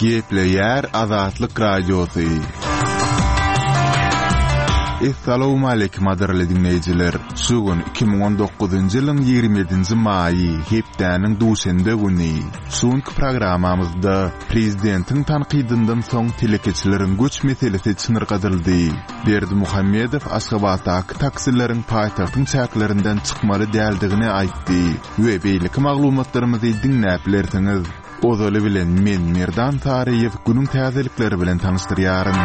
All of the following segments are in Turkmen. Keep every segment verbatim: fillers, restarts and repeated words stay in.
Gepleýär Azatlyk Radiosy. Essalawmaleýkim gadyrly diňleýjiler! Şu gün iki müň on dokuzynjy ýylyň ýigrimi ýedinji maýy, hepdäniň duşenbe güni. Şu günki programmamyzda prezidentiň tankydyndan soň telekeçileriň göç meselesi çynyrgadyldy. Berdimuhamedow Aşgabatdaky taksileriň paýtagtyň çäklerinden çykmaly däldigini aýtdy we beýleki maglumatlarymyzy diňläp bilersiňiz. Ozaly bilen men Merdan Saryýew günüň täzelikleri bilen tanyşdyrýaryn.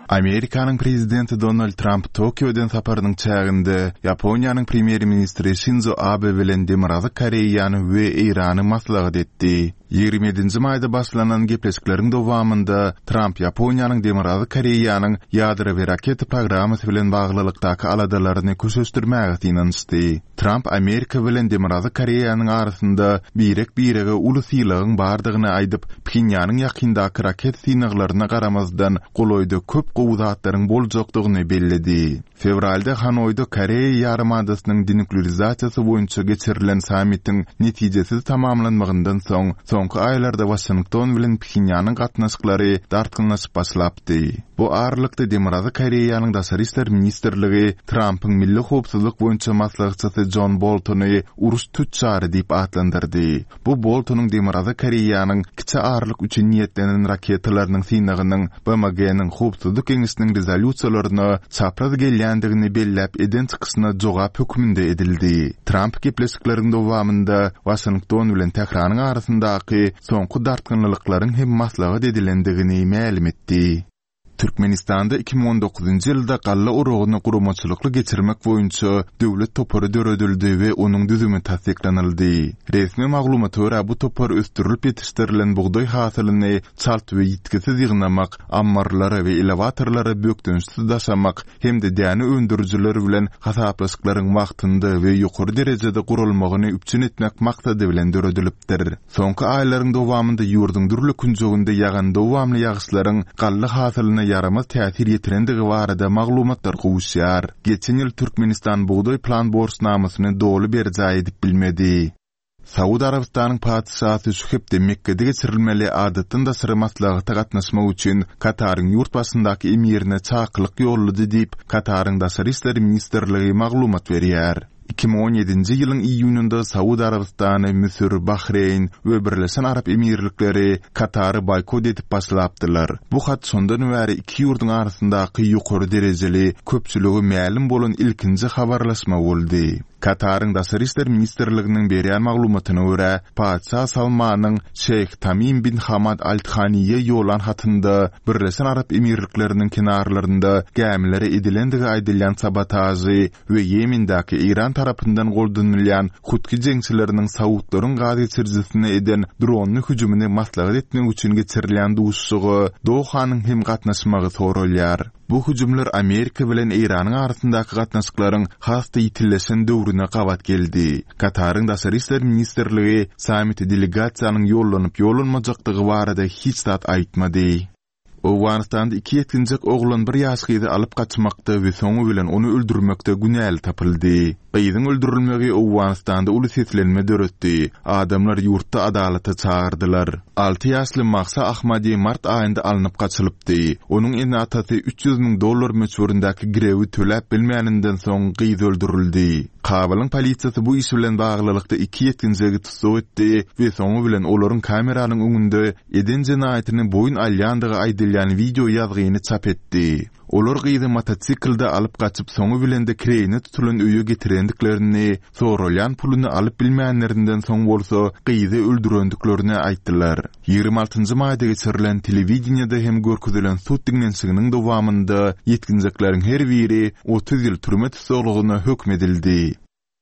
Amerikanyň prezidenti Donald Tramp Tokio eden saparynyň çäginde Ýaponiýanyň premýer-ministri Şinzo Abe bilen Demirgazyk Koreýany we Eýrany maslahat etdi. Ýigrimi ýedinji maýda başlanan gepleşikleriň dowamynda Tramp Ýaponiýanyň Demirgazyk Koreýanyň ýadro we raketa programmasy bilen baglylykdaky aladalaryny köşeşdirmäge synanyşdy. Tramp Amerika bilen Demirgazyk Koreýanyň arasynda birek-birege uly sylagyň bardygyny aýdyp, Phenýanyň ýakyndaky raketa synaglaryna garamazdan, golaýda köp gowy zatlaryň boljakdygyny belledi. Fewralda Hanoýda Koreýa ýarymadasynyň denuklearizasiýasy boýunça geçirilen sammitiň netijesiz tamamlanmagyndan soň, soňky aýlarda Waşington bilen Phenýanyň gatnaşyklary dartgynlaşyp başlapdy. Bu aralykda Demirgazyk Koreýanyň Daşary işler ministrligi Trampyň milli howpsuzlyk boýunça maslahatçysy Jon Boltony uruş tüçjary diýip atlandyrdy. Bu Boltonyň Demirgazyk Koreýanyň kiçi aralyk üçin niýetlenen raketalarynyň synagynyň B M G-niň Howpsuzlyk Geňeşiniň rezolýusiýalaryna çapraz gelýändigini belläp eden çykyşyna jogap hökmünde edildi. Tramp gepleşikleriň dowamynda Waşington bilen Tähranyň arasyndaky soňky dartgynlyklaryň hem maslahat edilendigini mälim etdi. Türkmenistanda iki müň on dokuzynjy ýylda galla oragyny guramaçylykly geçirmek boýunça döwlet topary döredildi we onuň düzümi tassyklanyldy. Resmi maglumata görä bu topar ösdürilip ýetişdirilen bugdaý hasylyny çalt we ýitgisiz ýygnamak, ammarlara we elewatorlara bökdençsiz daşamak hem-de däne öndürijiler bilen hasaplaşyklaryň wagtynda we ýokary derejede guralmagyny üpjün etmek maksady bilen döredilipdir. Soňky aýlaryň dowamynda ýurduň dürli künjeginde ýagan dowamly ýagyşlaryň galla hasylyna ýaramaz täsir ýetirendigi barada maglumatlar gowuşýar. Geçen ýyl Türkmenistan bugdaý plan borçnamasyny doly berjaý edip bilmedi. Saud Arabystanyň patyşasy şu hepde Mekgede geçirilmeli adatdan daşary maslahata gatnaşmak üçin Kataryň ýurt başyndaky emirine çakylyk ýollady diýip, Kataryň Daşary işler ministrligi maglumat berýär. Iki müň on ýedinji ýylyň iýunynda Saud Arabystany, Müsür, Bahreýn we Birleşen Arap Emirlikleri Katary boýkot edip başlapdylar. Bu hat şondan bäri iki ýurduň arasyndaky ýokary derejeli, köpçüligi mälim bolan ilkinji habarlaşma boldy. Kataryň Daşary işler ministrliginiň berýän maglumatyna görä, Patyşa Salmanyň Şeýh Tamim bin Hamad Al-Thaniýe ýollan hatynda Birleşen Arap Emirlikleriniň kenarlarynda gämilere edilendigi aýdylýan sabotažy we Ýemendäki Eýran tarapyndan goldanylýan Hutki jeňçileriniň Saudlaryň gaz geçirijisine eden dronly hüjümini maslahat etmek üçin geçirilýän duşuşyga Dohanyň hem gatnaşmagy soralýar. Bu hüjümler Amerika bilen Eýranyň arasyndaky gatnaşyklaryň has-da ýitilleşen döwrüne gabat geldi. Kataryň Daşary işler ministrligi sammite delegasiýanyň ýollanyp ýollanmajakdygy barada hiç zat aýtmady. Owganystanda iki ýetginjek oglan bir ýaş gyzy alyp gaçmakda we soňy bilen ony öldürmekde günäli tapyldy. Gyzyň öldürilmegi Owganystanda uly seslenme döretdi. Adamlar ýurtda adalata çagyrdylar. Alty ýaşly Mahsa Ahmadi mart aýynda alnyp gaçylypdy. Onuň ene-atasy üç ýüz müň dollar möçberindäki girewi töläp bilmäninden soň gyz öldürildi. Kabulyň polisiýasy bu iş bilen baglylykda iki ýetginjegi tussag etdi we soňy bilen olaryň kameranyň öňünde eden jenaýatyny boýun alýandygy aýdylýan video ýazgyny çap etdi. Olar gyzy motosiklde alyp gaçyp soňy bilen de kireýine tutulan öýe getirendiklerini, soralýan puluny alyp bilmänlerinden soň bolsa gyzy öldürendiklerini aýtdylar. Ýigrimi altynjy maýda geçirilen telewideniýede hem görkezilen sud diňlenişiginiň dowamynda ýetginjekleriň her biri otuz ýyl türme tussaglygyna hökm edildi.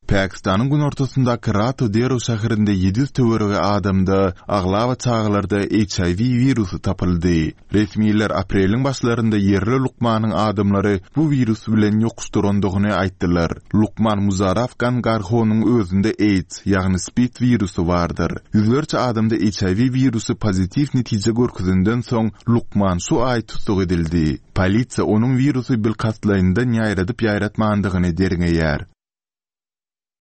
Pakistanyň günortasyndaky Rato Dero şäherinde ýedi ýüz töweregi adamda, aglaba çagalarda H I V wirusy tapyldy. Resmiler apreliň başlarynda ýerli lukmanyň adamlary bu wirus bilen ýokuşdyrandygyny aýtdylar. Lukman Muzarraf Gangarhonyň özünde AIDS, ýagny SPID wirusy bardyr. Ýüzlerçe adamda H I V wirusy pozitiw netije görkezenden soň lukman şu aý tussag edildi. Polisiýa onuň wirusy bilkastlaýyndan ýaýradyp ýaýratmandygyny derňeýär.